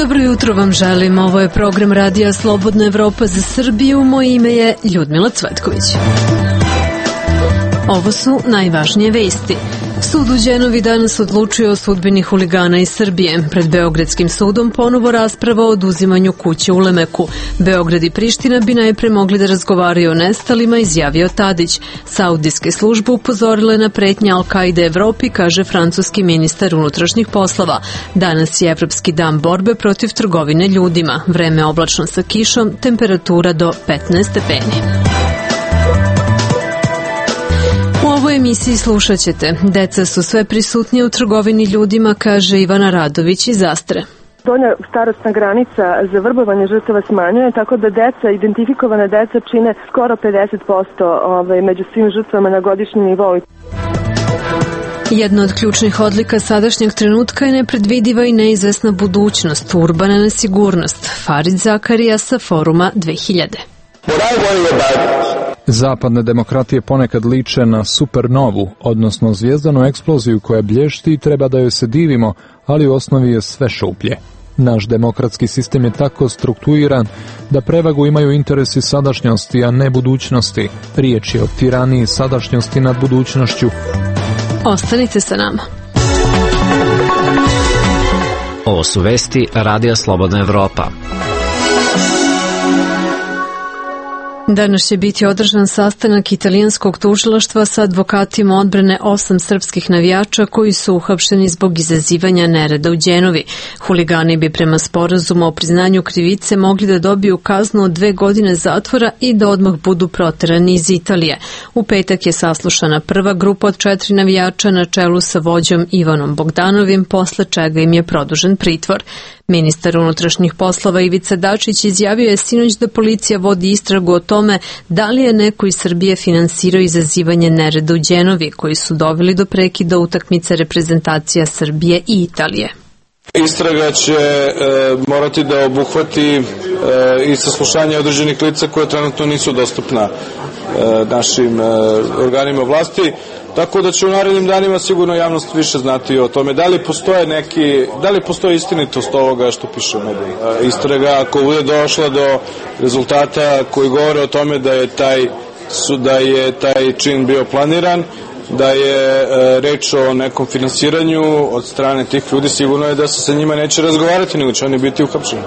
Dobro jutro vam želim, ovo je program Radija Slobodna Evropa za Srbiju, moje ime je Ljudmila Cvetković. Ovo su najvažnije vesti. Sud u Đenovi danas odlučio o sudbini huligana iz Srbije. Pred Beogradskim sudom ponovo rasprava o oduzimanju kuće u Lemeku. Beograd i Priština bi najpre mogli da razgovaraju o nestalima, izjavio Tadić. Saudijske službe upozorile na pretnje Al-Kaide Evropi, kaže francuski ministar unutrašnjih poslova. Danas je Evropski dan borbe protiv trgovine ljudima. Vreme oblačno sa kišom, temperatura do 15 stepeni. U ovoj emisiji slušat ćete: deca su sve prisutnije u trgovini ljudima, kaže Ivana Radović iz Astre. Donja starosna granica za vrbovanje žrtava smanjuje, tako da identifikovane deca čine skoro 50% među svim žrtvama na godišnjem nivou. Jedna od ključnih odlika sadašnjeg trenutka je nepredvidiva i neizvesna budućnost, urbana nesigurnost. Farid Zakarija sa Foruma 2000. Zapadne demokratije ponekad liče na supernovu, odnosno zvijezdanu eksploziju koja blješti i treba da joj se divimo, ali u osnovi je sve šuplje. Naš demokratski sistem je tako strukturiran da prevagu imaju interesi sadašnjosti, a ne budućnosti. Riječ je o tiraniji sadašnjosti nad budućnošću. Ostanite sa nama. Ovo su vesti Radija Slobodna Evropa. Danas će biti održan sastanak italijanskog tužilaštva sa advokatima odbrane 8 srpskih navijača koji su uhapšeni zbog izazivanja nereda u Đenovi. Huligani bi prema sporazumu o priznanju krivice mogli da dobiju kaznu od 2 godine zatvora i da odmah budu proterani iz Italije. U petak je saslušana prva grupa od 4 navijača na čelu sa vođom Ivanom Bogdanovim, posle čega im je produžen pritvor. Ministar unutrašnjih poslova Ivica Dačić izjavio je sinoć da policija vodi istragu o tome da li je neko iz Srbije finansirao izazivanje nereda u Đenovi, koji su doveli do prekida utakmice reprezentacija Srbije i Italije. Istraga će morati da obuhvati i saslušanje određenih lica koje trenutno nisu dostupna našim organima vlasti. Tako da će u narednim danima sigurno javnost više znati o tome da li postoji istinitost ovoga što piše u medijima. Istraga, ako bude došla do rezultata koji govore o tome da je taj čin bio planiran, da je reč o nekom finansiranju od strane tih ljudi, sigurno je da se sa njima neće razgovarati, nego će oni biti uhapšeni.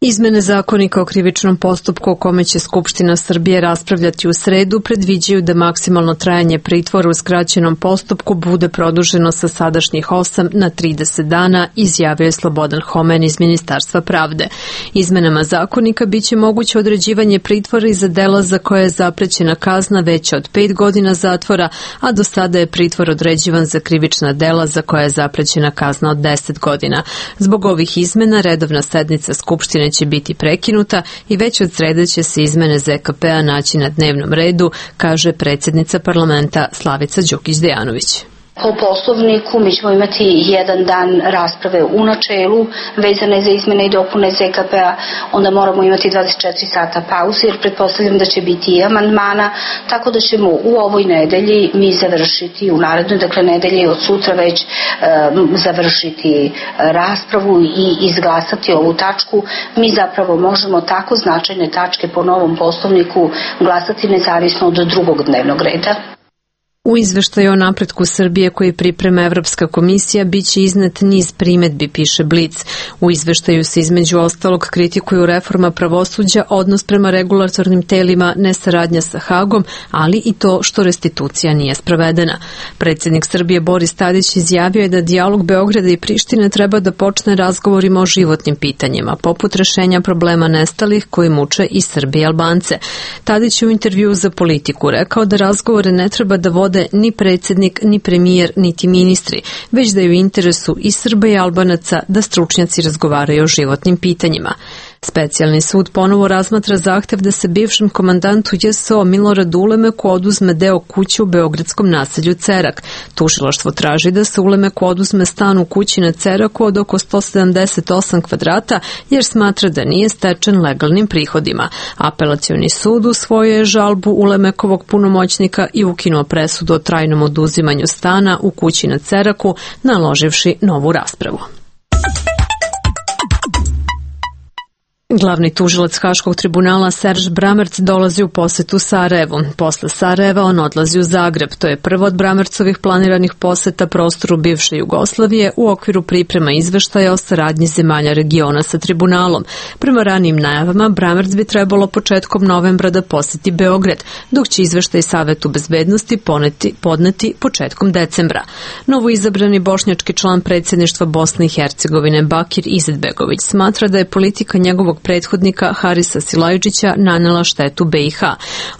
Izmene zakonika o krivičnom postupku o kome će Skupština Srbije raspravljati u sredu predviđaju da maksimalno trajanje pritvora u skraćenom postupku bude produženo sa sadašnjih 8 na 30 dana, izjavio je Slobodan Homen iz Ministarstva pravde. Izmenama zakonika biće moguće određivanje pritvora i za dela za koje je zaprećena kazna veća od 5 godina zatvora, a do sada je pritvor određivan za krivična dela za koje je zaprećena kazna od 10 godina. Zbog ovih izmena redovna sednica Skupštine će biti prekinuta i već od srede će se izmene ZKP-a naći na dnevnom redu, kaže predsjednica parlamenta Slavica Đukić-Dejanović. Po poslovniku mi ćemo imati jedan dan rasprave u načelu vezane za izmene i dopune ZKP-a, onda moramo imati 24 sata pauze jer pretpostavljam da će biti i amandmana, tako da ćemo u ovoj nedelji mi završiti, u narednoj nedelji od sutra već završiti raspravu i izglasati ovu tačku. Mi zapravo možemo tako značajne tačke po novom poslovniku glasati nezavisno od drugog dnevnog reda. U izveštaju o napretku Srbije koji priprema Evropska komisija biće iznet niz primedbi, piše Blic. U izveštaju se između ostalog kritikuju reforma pravosuđa, odnos prema regulatornim telima, nesaradnja sa Hagom, ali i to što restitucija nije sprovedena. Predsjednik Srbije Boris Tadić izjavio je da dijalog Beograda i Prištine treba da počne razgovorima o životnim pitanjima, poput rešenja problema nestalih koji muče i Srbi i Albance. Tadić je u intervjuu za Politiku rekao da razgovore ne treba da vode ni predsjednik, ni premijer, niti ministri, već da je u interesu i Srba i Albanaca da stručnjaci razgovaraju o životnim pitanjima. Specijalni sud ponovo razmatra zahtev da se bivšem komandantu JSO Miloradu Ulemeku oduzme deo kuće u beogradskom naselju Cerak. Tužilaštvo traži da se Ulemeku oduzme stan u kući na Ceraku od oko 178 kvadrata jer smatra da nije stečen legalnim prihodima. Apelacioni sud usvojio je žalbu Ulemekovog punomoćnika i ukinuo presudu o trajnom oduzimanju stana u kući na Ceraku, naloživši novu raspravu. Glavni tužilac Haškog tribunala Serž Bramerc dolazi u posetu Sarajevu. Posle Sarajeva on odlazi u Zagreb. To je prvo od Bramercovih planiranih poseta prostoru bivše Jugoslavije u okviru priprema izveštaja o saradnji zemalja regiona sa tribunalom. Prema ranijim najavama, Bramerc bi trebalo početkom novembra da poseti Beograd, dok će izveštaj Savetu bezbednosti podneti početkom decembra. Novoizabrani bošnjački član predsjedništva Bosne i Hercegovine Bakir Izetbegović smatra da je politika njegovog prethodnika Harisa Silajdžića nanela štetu BiH.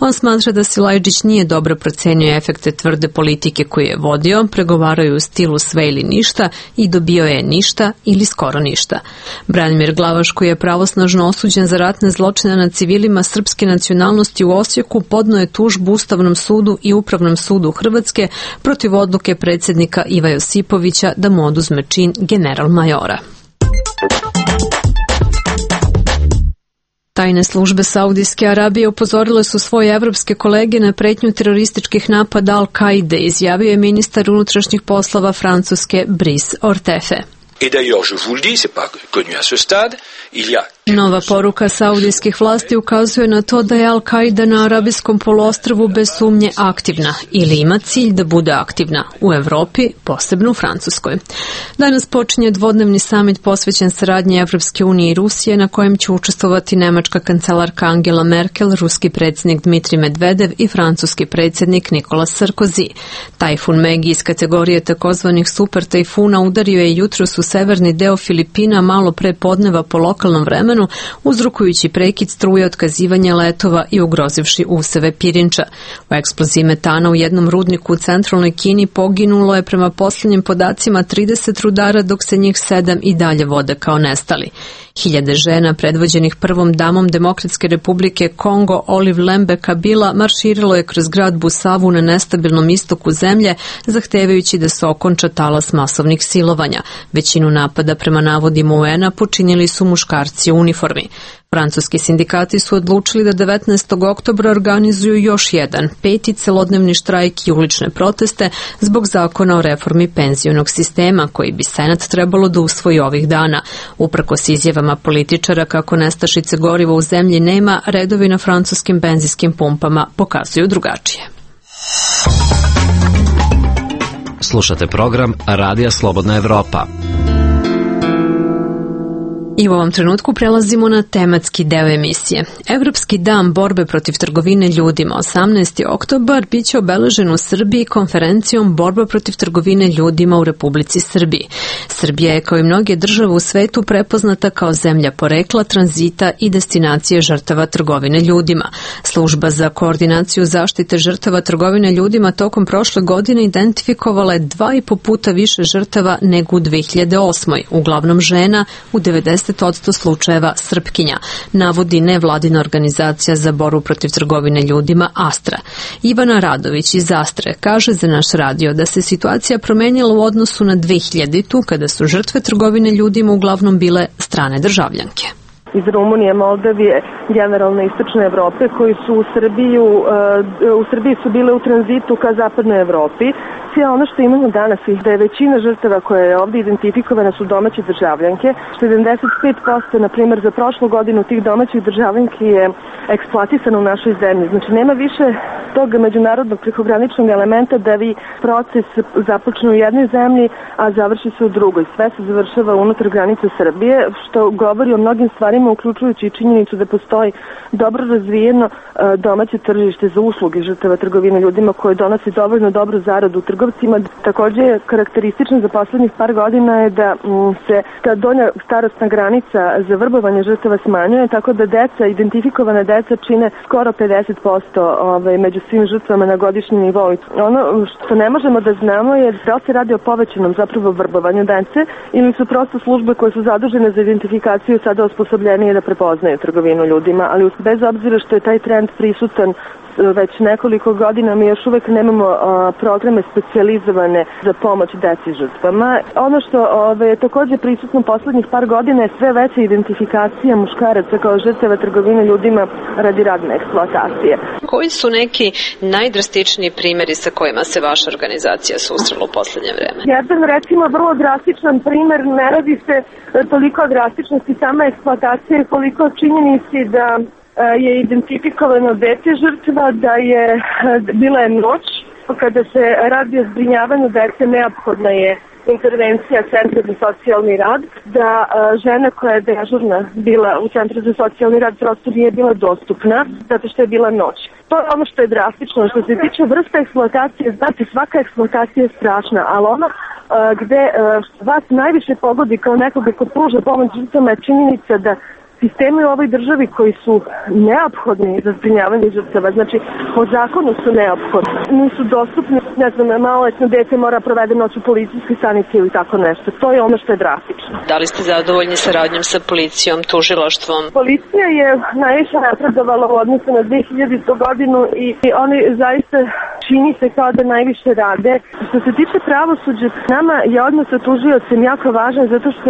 On smatra da Silajdžić nije dobro procenio efekte tvrde politike koju je vodio, pregovaraju u stilu sve ili ništa i dobio je ništa ili skoro ništa. Branimir Glavaš, koji je pravosnažno osuđen za ratne zločine nad civilima srpske nacionalnosti u Osijeku, podneo je tužbu Ustavnom sudu i Upravnom sudu Hrvatske protiv odluke predsjednika Iva Josipovića da mu oduzme čin general majora. Tajne službe Saudijske Arabije upozorile su svoje evropske kolege na pretnju terorističkih napada Al-Kaide, izjavio je ministar unutrašnjih poslova Francuske Brice Hortefe. Nova poruka saudijskih vlasti ukazuje na to da je Al-Kaida na Arabijskom poluostrvu bez sumnje aktivna ili ima cilj da bude aktivna u Evropi, posebno u Francuskoj. Danas počinje dvodnevni samit posvećen saradnji Evropske unije i Rusije, na kojem će učestvovati nemačka kancelarka Angela Merkel, ruski predsjednik Dmitrij Medvedev i francuski predsjednik Nicolas Sarkozy. Tajfun Megi iz kategorije takozvanih super tajfuna udario je jutros u severni deo Filipina malo pre podneva po lokalnom vremenu, uzrokujući prekid struje, otkazivanje letova i ugrozivši useve pirinča. U eksploziji metana u jednom rudniku u centralnoj Kini poginulo je prema posljednjim podacima 30 rudara, dok se njih 7 i dalje vode kao nestali. Hiljade žena predvođenih prvom damom Demokratske republike Kongo Olive Lembe Kabila marširilo je kroz grad Busavu na nestabilnom istoku zemlje, zahtevajući da se okonča talas masovnih silovanja. Većinu napada prema navodima UN-a počinili su muškarci u uniformi. Francuski sindikati su odlučili da 19. oktobra organizuju još jedan, 5. celodnevni štrajk i ulične proteste zbog zakona o reformi penzionog sistema, koji bi Senat trebalo da usvoji ovih dana. Uprkos izjavama političara kako nestašice goriva u zemlji nema, redovi na francuskim benzinskim pumpama pokazuju drugačije. Slušate program Radija Slobodna Evropa. I u ovom trenutku prelazimo na tematski deo emisije. Evropski dan borbe protiv trgovine ljudima, 18. oktobar, bit će obeležen u Srbiji konferencijom Borba protiv trgovine ljudima u Republici Srbiji. Srbija je, kao i mnoge države u svetu, prepoznata kao zemlja porekla, tranzita i destinacije žrtava trgovine ljudima. Služba za koordinaciju zaštite žrtava trgovine ljudima tokom prošle godine identifikovala je 2,5 puta više žrtava nego u 2008. Uglavnom žena, u 90% slučajeva Srpkinja, navodi nevladina organizacija za borbu protiv trgovine ljudima Astra. Ivana Radović iz Astre kaže za naš radio da se situacija promenila u odnosu na 2000-tu, kada su žrtve trgovine ljudima uglavnom bile strane državljanke. Iz Rumunije, Moldavije, generalno istočne Evrope, koji su u Srbiji su bile u tranzitu ka zapadnoj Evropi. Sve ono što imamo danas je da je većina žrtava koje je ovdje identifikovana su domaće državljanke. 75%, na primjer, za prošlu godinu tih domaćih državljanki je eksploatisano u našoj zemlji. Znači, nema više tog međunarodnog prekograničnog elementa da vi proces započne u jednoj zemlji, a završi se u drugoj. Sve se završava unutar granice Srbije, što govori o mnogim stvarima, uključujući i činjenicu da postoji dobro razvijeno domaće tržište za usluge žrtava trgovine ljudima, koje donosi dovoljno dobru zaradu trgovcima. Također je karakteristično za poslednjih par godina je da se ta donja starosna granica za vrbovanje žrtava smanjuje, tako da identifikovane deca čine skoro 50% među svim žrtvama na godišnjem nivou. Ono što ne možemo da znamo je da li se radi o povećanom zapravo vrbovanju dece ili su prosto službe koje su zadužene za identifikaciju sada osposobljenije da prepoznaju trgovinu ljudima, ali bez obzira što je taj trend prisutan već nekoliko godina mi još uvek nemamo programe specijalizovane za pomoć deci žrtvama. Ono što je takođe prisutno poslednjih par godina je sve veća identifikacija muškaraca kao žrtava trgovine ljudima radi radne eksploatacije. Koji su neki najdrastičniji primjeri sa kojima se vaša organizacija susrela u poslednje vreme? Jedan, recimo, vrlo drastičan primer, ne radi se toliko o drastičnosti same eksploatacije, koliko činjenici da je identifikovano dete žrtva, da je bila je noć, kada se radi o zbrinjavanju dece, neophodna je intervencija Centra za socijalni rad, da žena koja je dežurna bila u Centru za socijalni rad prosto nije bila dostupna, zato što je bila noć. To je ono što je drastično. Što se tiče vrste eksploatacije, znate, svaka eksploatacija je strašna, ali ono gde vas najviše pogodi kao nekoga ko pruža pomoć žrtvama je činjenica da sistemi u ovoj državi koji su neophodni za zbrinjavanje žrtava, znači po zakonu su neophodni, nisu dostupni, ne znam, maloletno dete mora provede noć u policijskoj stanici ili tako nešto. To je ono što je drastično. Da li ste zadovoljni saradnjom sa policijom, tužilaštvom? Policija je najviše napredovala u odnosu na 2000. godinu i oni zaista čini se kao da najviše rade. Što se tiče pravosuđa, nama je odnos sa tužiocem jako važan zato što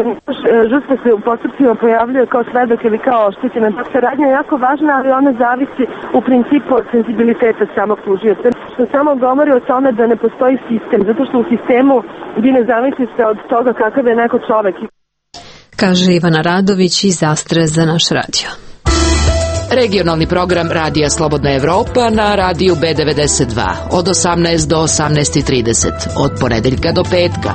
žrtva se u postupcima pojavljuje kao svedok ili kao oštećena. Saradnja je jako važna, ali ona zavisi u principu od senzibiliteta samog tužioca. Što samo govori o tome da ne postoji sistem, zato što u sistemu vi ne zavisite od toga kakav je neko čovek. Kaže Ivana Radović iz Astre za naš radio. Regionalni program Radija Slobodna Evropa na radiju B92 od 18 do 18:30 od ponedeljka do petka.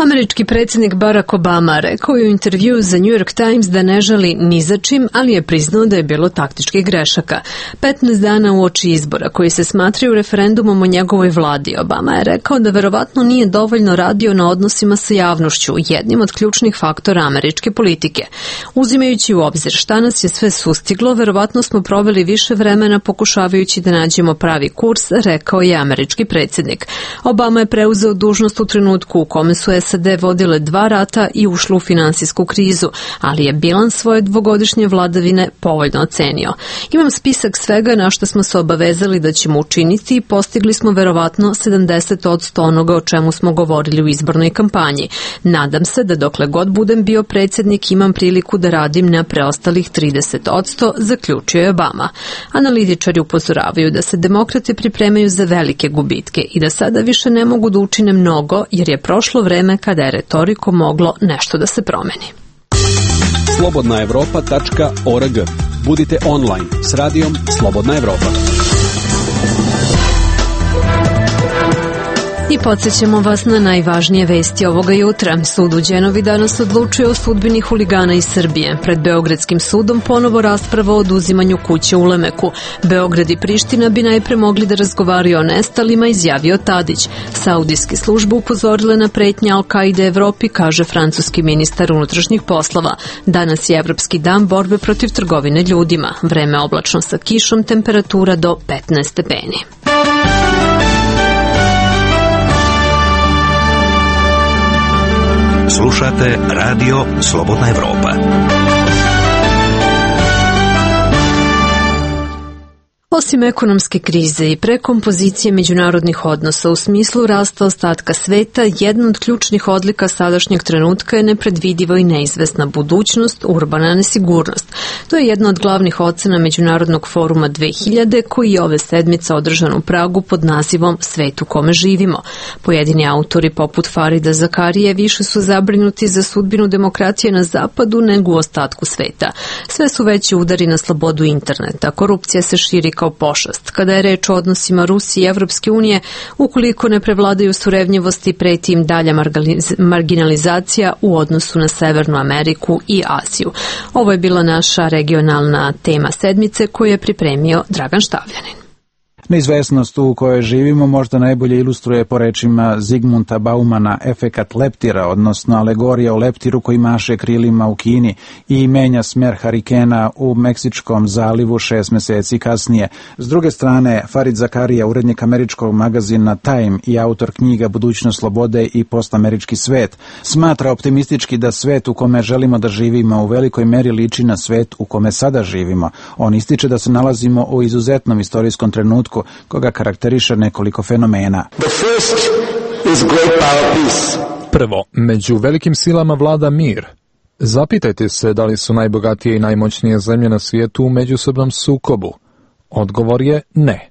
Američki predsjednik Barack Obama rekao je u intervjuu za New York Times da ne žali ni za čim, ali je priznao da je bilo taktičkih grešaka. 15 dana uoči izbora koji se smatraju referendumom o njegovoj vladi, Obama je rekao da verovatno nije dovoljno radio na odnosima sa javnošću, jednim od ključnih faktora američke politike. Uzimajući u obzir šta nas je sve sustiglo, verovatno smo proveli više vremena pokušavajući da nađemo pravi kurs, rekao je američki predsjednik. Obama je preuzeo dužnost u trenutku u kome su SAD vodile 2 rata i ušlo u finansijsku krizu, ali je bilans svoje dvogodišnje vladavine povoljno ocenio. Imam spisak svega na što smo se obavezali da ćemo učiniti i postigli smo verovatno 70% onoga o čemu smo govorili u izbornoj kampanji. Nadam se da dokle god budem bio predsjednik imam priliku da radim na preostalih 30%, zaključio je Obama. Analitičari upozoravaju da se demokrate pripremaju za velike gubitke i da sada više ne mogu da učine mnogo jer je prošlo vreme kada je retoriko moglo nešto da se promeni. slobodnaevropa.org. Budite online s radijom Slobodna Evropa. I podsjećamo vas na najvažnije vesti ovoga jutra. Sud u Đenovi danas odlučuje o sudbini huligana iz Srbije. Pred Beogradskim sudom ponovo rasprava o oduzimanju kuće u Lemeku. Beograd i Priština bi najpre mogli da razgovaraju o nestalima, izjavio Tadić. Saudijske službe upozorile na pretnje Al-Kaide Evropi, kaže francuski ministar unutrašnjih poslova. Danas je Evropski dan borbe protiv trgovine ljudima. Vreme oblačno sa kišom, temperatura do 15 stepeni. Slušate Radio Slobodna Evropa. Osim ekonomske krize i prekompozicije međunarodnih odnosa u smislu rasta ostatka sveta, jedna od ključnih odlika sadašnjeg trenutka je nepredvidiva i neizvesna budućnost, urbana nesigurnost. To je jedna od glavnih ocena Međunarodnog foruma 2000 koji je ove sedmice održan u Pragu pod nazivom Svet u kome živimo. Pojedini autori poput Farida Zakarije više su zabrinuti za sudbinu demokratije na zapadu nego u ostatku sveta. Sve su veći udari na slobodu interneta, korupcija se širi kao pošast. Kada je reč o odnosima Rusije i Evropske unije, ukoliko ne prevladaju surevnjivosti, preti im dalja marginalizacija u odnosu na Severnu Ameriku i Aziju. Ovo je bila naša regionalna tema sedmice koju je pripremio Dragan Štavljanin. Neizvesnost u kojoj živimo možda najbolje ilustruje po rečima Zigmunta Baumana efekat leptira, odnosno alegorija o leptiru koji maše krilima u Kini i menja smer harikena u Meksičkom zalivu 6 meseci kasnije. S druge strane, Farid Zakarija, urednik američkog magazina Time i autor knjiga Budućnost slobode i postamerički svet, smatra optimistički da svet u kome želimo da živimo u velikoj meri liči na svet u kome sada živimo. On ističe da se nalazimo u izuzetnom istorijskom trenutku koga karakteriše nekoliko fenomena. Prvo, među velikim silama vlada mir. Zapitajte se da li su najbogatije i najmoćnije zemlje na svijetu u međusobnom sukobu. Odgovor je ne.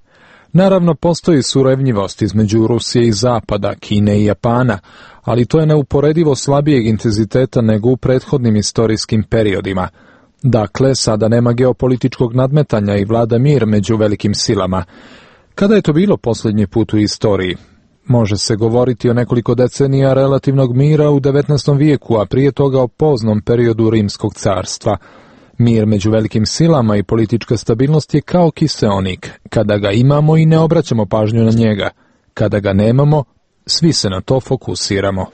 Naravno, postoji surevnjivost između Rusije i Zapada, Kine i Japana, ali to je neuporedivo slabijeg intenziteta nego u prethodnim istorijskim periodima. Dakle, sada nema geopolitičkog nadmetanja i vlada mir među velikim silama. Kada je to bilo posljednji put u istoriji? Može se govoriti o nekoliko decenija relativnog mira u 19. vijeku, a prije toga o poznom periodu Rimskog carstva. Mir među velikim silama i politička stabilnost je kao kiseonik. Kada ga imamo i ne obraćamo pažnju na njega. Kada ga nemamo, svi se na to fokusiramo.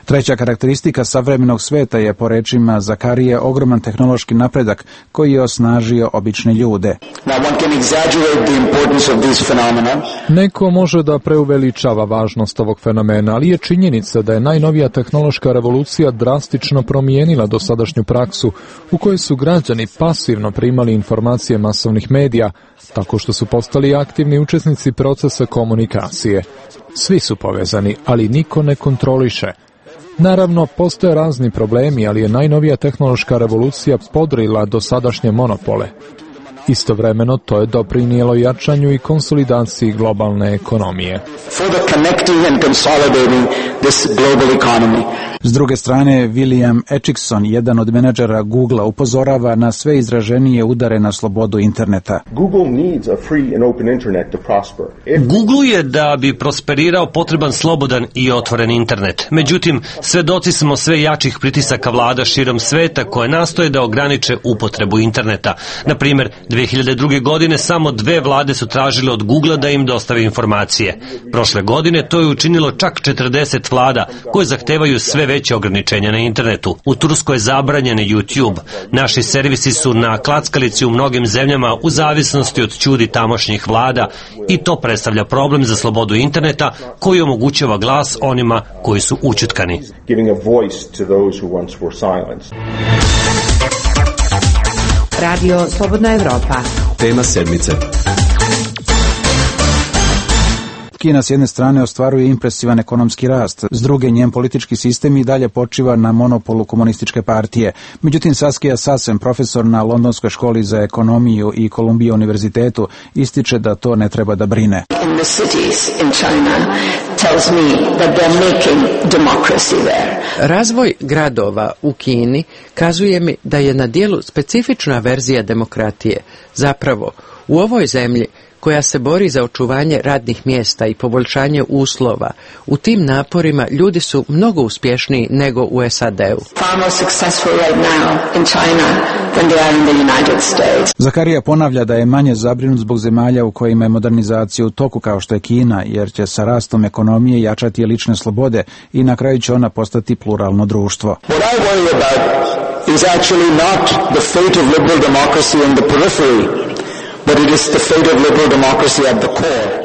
Treća karakteristika savremenog sveta je, po rečima Zakarije, ogroman tehnološki napredak koji je osnažio obične ljude. Neko može da preuveličava važnost ovog fenomena, ali je činjenica da je najnovija tehnološka revolucija drastično promijenila dosadašnju praksu u kojoj su građani pasivno primali informacije masovnih medija, tako što su postali aktivni učesnici procesa komunikacije. Svi su povezani, ali niko ne kontroliše. Naravno, postoje razni problemi, ali je najnovija tehnološka revolucija podrila dosadašnje monopole. Istovremeno, to je doprinijelo jačanju i konsolidaciji globalne ekonomije. S druge strane, William Acheson, jedan od menadžera Googlea, upozorava na sve izraženije udare na slobodu interneta. Google je, da bi prosperirao, potreban slobodan i otvoren internet. Međutim, svedoci smo sve jačih pritisaka vlada širom sveta koje nastoje da ograniče upotrebu interneta. Na primjer, 2002. godine samo 2 vlade su tražile od Googlea da im dostave informacije. Prošle godine to je učinilo čak 40 vlada koje zahtevaju sve veće ograničenja na internetu. U Turskoj je zabranjen YouTube. Naši servisi su na klackalici u mnogim zemljama u zavisnosti od ćudi tamošnjih vlada i to predstavlja problem za slobodu interneta koji omogućava glas onima koji su ućutkani. Radio Slobodna Evropa. Tema sedmice. Kina s jedne strane ostvaruje impresivan ekonomski rast, s druge njen politički sistem i dalje počiva na monopolu komunističke partije. Međutim, Saskia Sassen, profesor na Londonskoj školi za ekonomiju i Columbia univerzitetu, ističe da to ne treba da brine. Razvoj gradova u Kini kazuje mi da je na dijelu specifična verzija demokratije. Zapravo, u ovoj zemlji koja se bori za očuvanje radnih mjesta i poboljšanje uslova, u tim naporima ljudi su mnogo uspješniji nego u SAD-u. Zakarija ponavlja da je manje zabrinut zbog zemalja u kojima je modernizacija u toku kao što je Kina, jer će sa rastom ekonomije jačati lične slobode i na kraju će ona postati pluralno društvo. What I worry about is actually not the fate of liberal democracy in the periphery.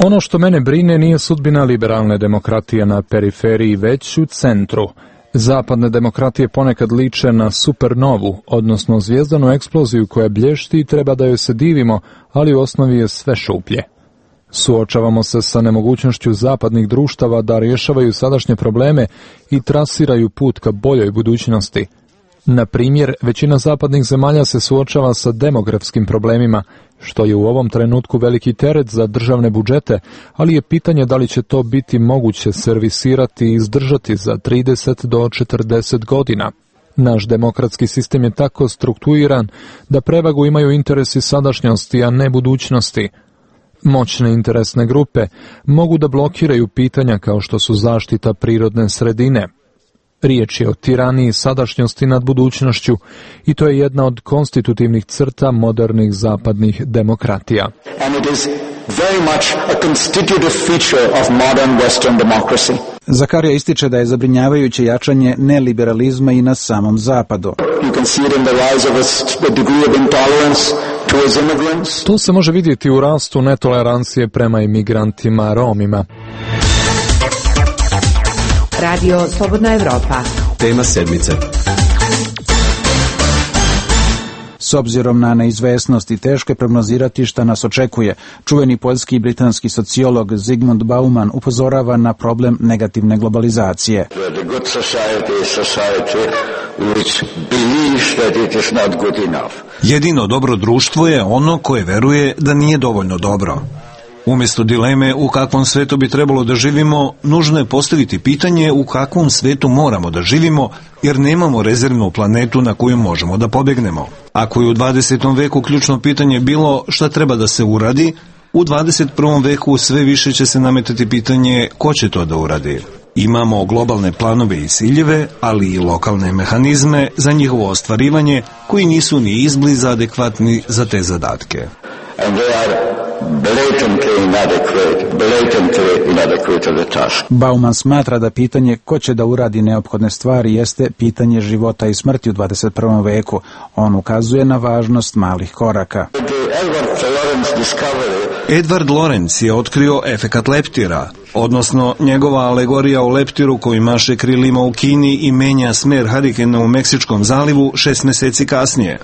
Ono što mene brine nije sudbina liberalne demokratije na periferiji, već u centru. Zapadne demokratije ponekad liče na supernovu, odnosno zvijezdanu eksploziju koja blješti i treba da joj se divimo, ali u osnovi je sve šuplje. Suočavamo se sa nemogućnošću zapadnih društava da rješavaju sadašnje probleme i trasiraju put ka boljoj budućnosti. Na primjer, većina zapadnih zemalja se suočava sa demografskim problemima, što je u ovom trenutku veliki teret za državne budžete, ali je pitanje da li će to biti moguće servisirati i izdržati za 30 do 40 godina. Naš demokratski sistem je tako strukturiran da prevagu imaju interesi sadašnjosti, a ne budućnosti. Moćne interesne grupe mogu da blokiraju pitanja kao što su zaštita prirodne sredine, Riječ je o tiraniji sadašnjosti nad budućnošću i to je jedna od konstitutivnih crta modernih zapadnih demokratija. Very much a constitutive feature of modern Western democracy. Zakarija ističe da je zabrinjavajuće jačanje neliberalizma i na samom zapadu. You can see it in the rise of a degree of intolerance towards immigrants. To se može vidjeti u rastu netolerancije prema imigrantima Romima. Radio Slobodna Evropa. Tema sedmice. S obzirom na neizvesnost i teško je prognozirati šta nas očekuje, čuveni poljski i britanski sociolog Zygmunt Bauman upozorava na problem negativne globalizacije. Jedino dobro društvo je ono koje veruje da nije dovoljno dobro. Umjesto dileme u kakvom svetu bi trebalo da živimo, nužno je postaviti pitanje u kakvom svetu moramo da živimo, jer nemamo rezervnu planetu na koju možemo da pobjegnemo. Ako je u 20. veku ključno pitanje bilo šta treba da se uradi, u 21. veku sve više će se nametati pitanje ko će to da uradi. Imamo globalne planove i ciljeve, ali i lokalne mehanizme za njihovo ostvarivanje koji nisu ni izbliza adekvatni za te zadatke. And they are blatantly inadequate to the task. Bauman smatra da pitanje ko će da uradi neophodne stvari jeste pitanje života i smrti u 21. veku. On ukazuje na važnost malih koraka. Edward Lorenz je otkrio efekat leptira, odnosno njegova alegorija o leptiru koji maše krilima u Kini i menja smer harikena u Meksičkom zalivu 6 mjeseci kasnije.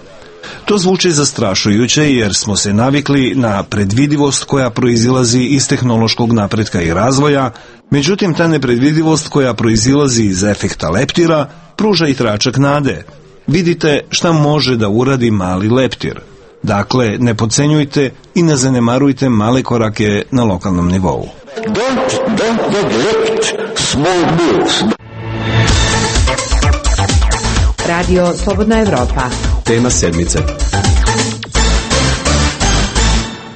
To zvuči zastrašujuće jer smo se navikli na predvidivost koja proizilazi iz tehnološkog napretka i razvoja, međutim ta nepredvidivost koja proizilazi iz efekta leptira pruža i tračak nade. Vidite šta može da uradi mali leptir. Dakle, ne podcenjujte i ne zanemarujte male korake na lokalnom nivou. Don't neglect small moves. Radio Slobodna Evropa. Tema sedmice.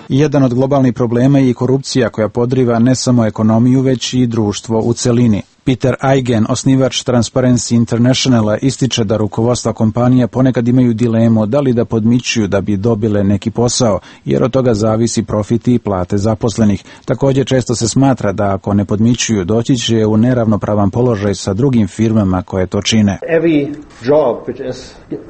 Jedan od globalnih problema je i korupcija koja podriva ne samo ekonomiju, već i društvo u celini. Peter Eigen, osnivač Transparency Internationala, ističe da rukovodstva kompanija ponekad imaju dilemu da li da podmićuju da bi dobile neki posao, jer od toga zavisi profiti i plate zaposlenih. Također često se smatra da ako ne podmićuju, doći će u neravnopravan položaj sa drugim firmama koje to čine. Every job which is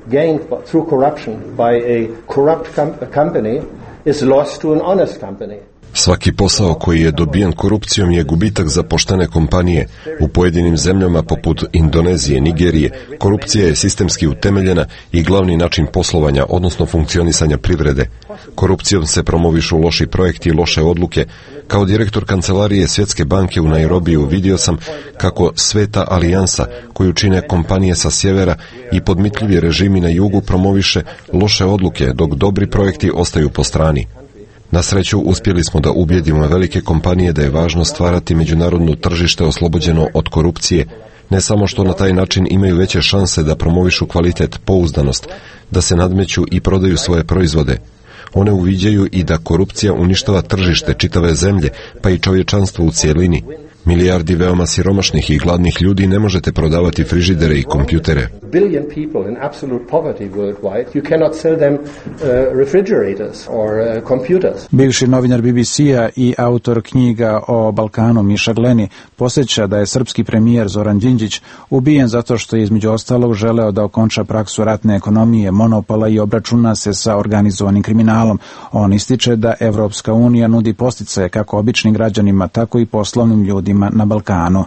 gained through corruption by a corrupt company is lost to an honest company. Svaki posao koji je dobijen korupcijom je gubitak za poštene kompanije. U pojedinim zemljama poput Indonezije, Nigerije, korupcija je sistemski utemeljena i glavni način poslovanja, odnosno funkcionisanja privrede. Korupcijom se promovišu loši projekti i loše odluke. Kao direktor kancelarije Svjetske banke u Nairobiju vidio sam kako Sveta alijansa, koju čine kompanije sa sjevera i podmitljivi režimi na jugu, promoviše loše odluke, dok dobri projekti ostaju po strani. Na sreću, uspjeli smo da ubijedimo velike kompanije da je važno stvarati međunarodno tržište oslobođeno od korupcije, ne samo što na taj način imaju veće šanse da promovišu kvalitet, pouzdanost, da se nadmeću i prodaju svoje proizvode. One uviđaju i da korupcija uništava tržište čitave zemlje, pa i čovječanstvo u cijelini. Milijardi veoma siromašnih i gladnih ljudi ne možete prodavati frižidere i kompjutere. Billion people in absolute poverty worldwide, you cannot sell them refrigerators or computers. Bivši novinar BBC-a i autor knjiga o Balkanu Miša Gleni posjeća da je srpski premijer Zoran Đinđić ubijen zato što je između ostalog želeo da okonča praksu ratne ekonomije, monopola i obračuna se sa organizovanim kriminalom. On ističe da Evropska unija nudi podsticaje kako običnim građanima, tako i poslovnim ljudima na Balkanu.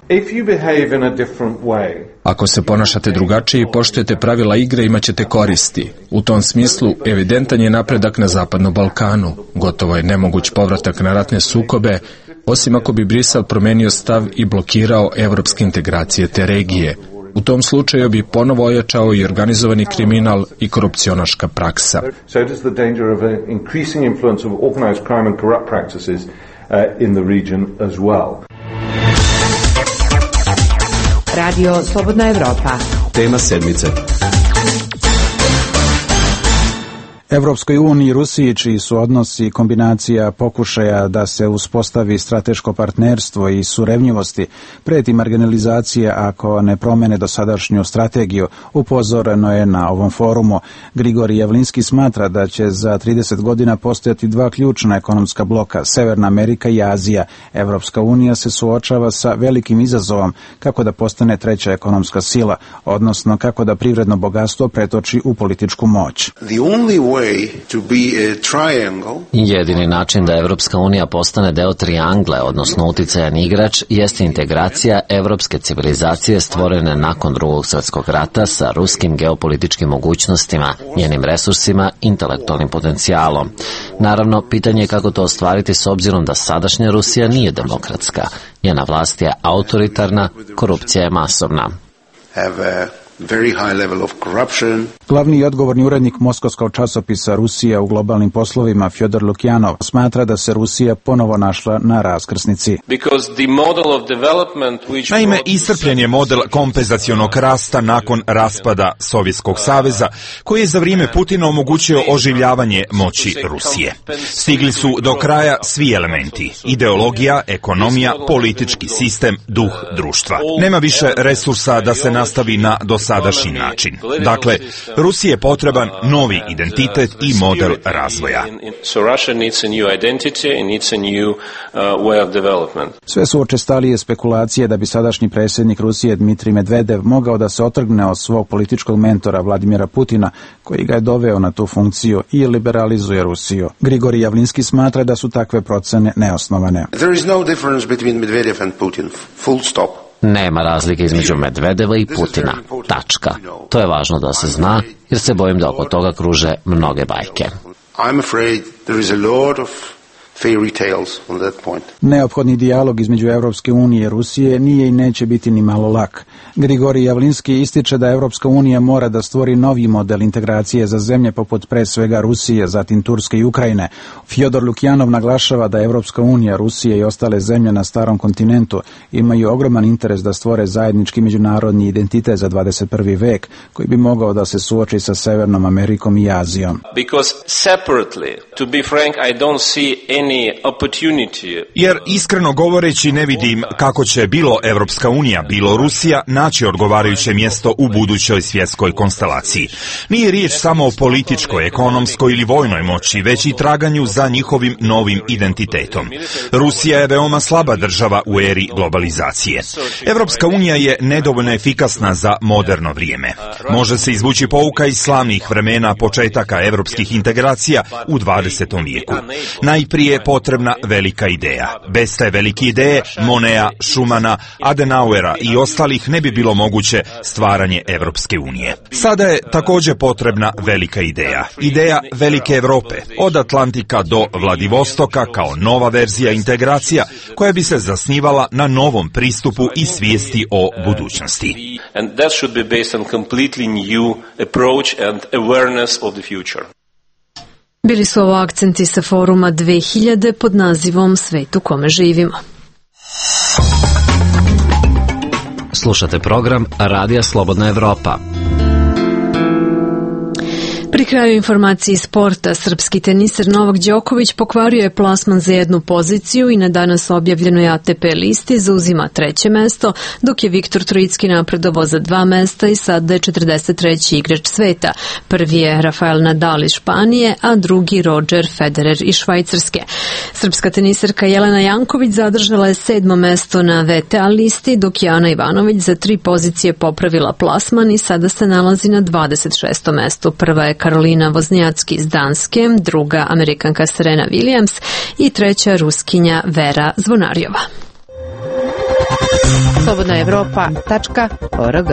Ako se ponašate drugačije i poštujete pravila igre, imaćete koristi. U tom smislu, evidentan je napredak na Zapadnom Balkanu. Gotovo je nemoguć povratak na ratne sukobe, osim ako bi Brisel promenio stav i blokirao evropske integracije te regije. U tom slučaju bi ponovo ojačao i organizovani kriminal i korupcionaška praksa. Radio Slobodna Evropa. Tema sedmice. Evropskoj uniji i Rusiji, čiji su odnosi kombinacija pokušaja da se uspostavi strateško partnerstvo i surevnjivosti, preti marginalizacija ako ne promene dosadašnju strategiju, upozoreno je na ovom forumu. Grigorij Javlinski smatra da će za 30 godina postojati dva ključna ekonomska bloka, Severna Amerika i Azija. Evropska unija se suočava sa velikim izazovom kako da postane treća ekonomska sila, odnosno kako da privredno bogatstvo pretoči u političku moć. Jedini način da Evropska unija postane deo trijangle, odnosno uticajan igrač, jeste integracija evropske civilizacije stvorene nakon Drugog svjetskog rata sa ruskim geopolitičkim mogućnostima, njenim resursima, intelektualnim potencijalom. Naravno, pitanje je kako to ostvariti s obzirom da sadašnja Rusija nije demokratska. Njena vlast je autoritarna, korupcija je masovna. Glavni i odgovorni urednik moskovskog časopisa Rusija u globalnim poslovima Fjodor Lukjanov smatra da se Rusija ponovo našla na raskrsnici. Naime, iscrpljen je model kompenzacionog rasta nakon raspada Sovjetskog saveza, koji je za vrijeme Putina omogućio oživljavanje moći Rusije. Stigli su do kraja svi elementi: ideologija, ekonomija, politički sistem, duh društva. Nema više resursa da se nastavi na dosadašnji način. Dakle, Rusiji je potreban novi identitet i model razvoja. Sve su učestalije spekulacije da bi sadašnji predsjednik Rusije Dmitrij Medvedev mogao da se otrgne od svog političkog mentora Vladimira Putina, koji ga je doveo na tu funkciju, i liberalizuje Rusiju. Grigorij Javlinski smatra da su takve procene neosnovane. Nema razlike između Medvedeva i Putina. Tačka. To je važno da se zna, jer se bojim da oko toga kruže mnoge bajke. Neophodni dijalog između Evropske unije i Rusije nije i neće biti ni malo lak. Grigorij Javlinski ističe da Evropska unija mora da stvori novi model integracije za zemlje poput pre svega Rusije, zatim Turske i Ukrajine. Fjodor Lukjanov naglašava da Evropska unija, Rusija i ostale zemlje na starom kontinentu imaju ogroman interes da stvore zajednički međunarodni identitet za 21. vek, koji bi mogao da se suoči sa Severnom Amerikom i Azijom. Jer iskreno govoreći ne vidim kako će bilo Evropska unija, bilo Rusija naći odgovarajuće mjesto u budućoj svjetskoj konstelaciji. Nije riječ samo o političkoj, ekonomskoj ili vojnoj moći, već i traganju za njihovim novim identitetom. Rusija je veoma slaba država u eri globalizacije. Evropska unija je nedovoljno efikasna za moderno vrijeme. Može se izvući pouka iz slavnih vremena početaka evropskih integracija u 20. vijeku. Najprije potrebna velika ideja. Bez te velike ideje, Monea, Schumana, Adenauera i ostalih ne bi bilo moguće stvaranje Evropske unije. Sada je također potrebna velika ideja. Ideja velike Europe, od Atlantika do Vladivostoka kao nova verzija integracija koja bi se zasnivala na novom pristupu i svijesti o budućnosti. Bili su ovo akcenti sa foruma 2000 pod nazivom Svet u kome živimo. Slušate program Radija Slobodna Evropa. Pri kraju informacije iz sporta, srpski teniser Novak Đoković pokvario je plasman za jednu poziciju i na danas objavljenoj ATP listi zauzima 3. mesto, dok je Viktor Trojicki napredovao za 2 mesta i sada je 43. igrač sveta. Prvi je Rafael Nadal iz Španije, a drugi Roger Federer iz Švajcarske. Srpska teniserka Jelena Janković zadržala je 7. mesto na VTA listi, dok je Ana Ivanović za 3 pozicije popravila plasman i sada se nalazi na 26. mestu. Prva je Karolina Voznjacki iz Danske, druga Amerikanka Serena Williams i treća Ruskinja Vera Zvonarjova. slobodnaevropa.org.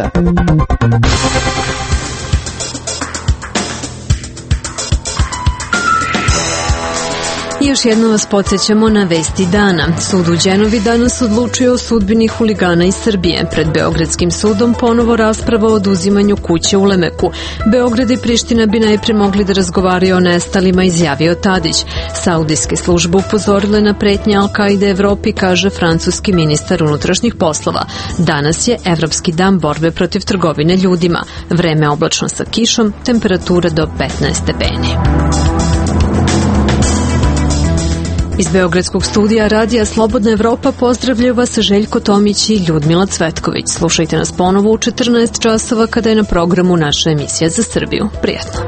Još jednom vas podsjećamo na vesti dana. Sud u Đenovi danas odlučio o sudbini huligana iz Srbije. Pred Beogradskim sudom ponovo rasprava o oduzimanju kuće u Lemeku. Beograd i Priština bi najprije mogli da razgovaraju o nestalima, izjavio Tadić. Saudijske službe upozorile na pretnje Al-Kaide Evropi, kaže francuski ministar unutrašnjih poslova. Danas je Evropski dan borbe protiv trgovine ljudima. Vreme oblačno sa kišom, temperatura do 15 stepeni. Iz Beogradskog studija Radija Slobodna Evropa pozdravljaju vas Željko Tomić i Ljudmila Cvetković. Slušajte nas ponovo u 14 časova kada je na programu naša emisija za Srbiju. Prijatno.